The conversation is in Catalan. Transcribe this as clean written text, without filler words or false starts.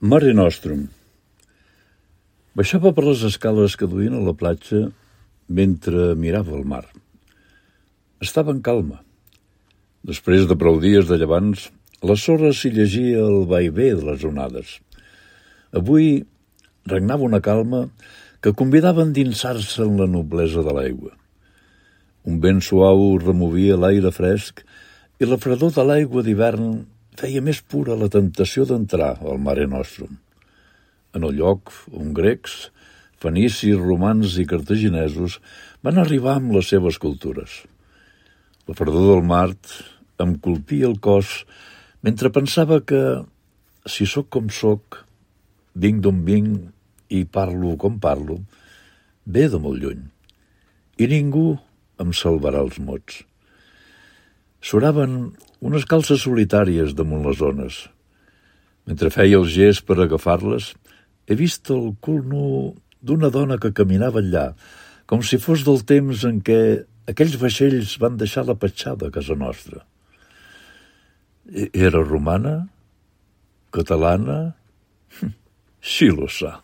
Mare Nostrum. Baixava per les escales que duien a la platja mentre mirava el mar. Estava en calma. Després de prou dies de llevants, a la sorra s'hi llegia el vaivé de les onades. Avui regnava una calma que convidava a endinsar-se en la noblesa de l'aigua. Un vent suau removia l'aire fresc i la fredor de l'aigua d'hivern feia més pura la temptació d'entrar al Mare Nostrum. En el lloc on grecs, fenicis, romans i cartaginesos van arribar amb les seves cultures. La fredor del mar em colpia el cos mentre pensava que, si sóc com sóc, vinc d'on vinc i parlo com parlo, ve de molt lluny. I ningú em salvarà els mots. Soraven unes calces solitàries damunt les ones. Mentre feia el gest per agafar-les, he vist el cul nu d'una dona que caminava allà, com si fos del temps en què aquells vaixells van deixar la petjada a casa nostra. Era romana? Catalana? Sí lo sa.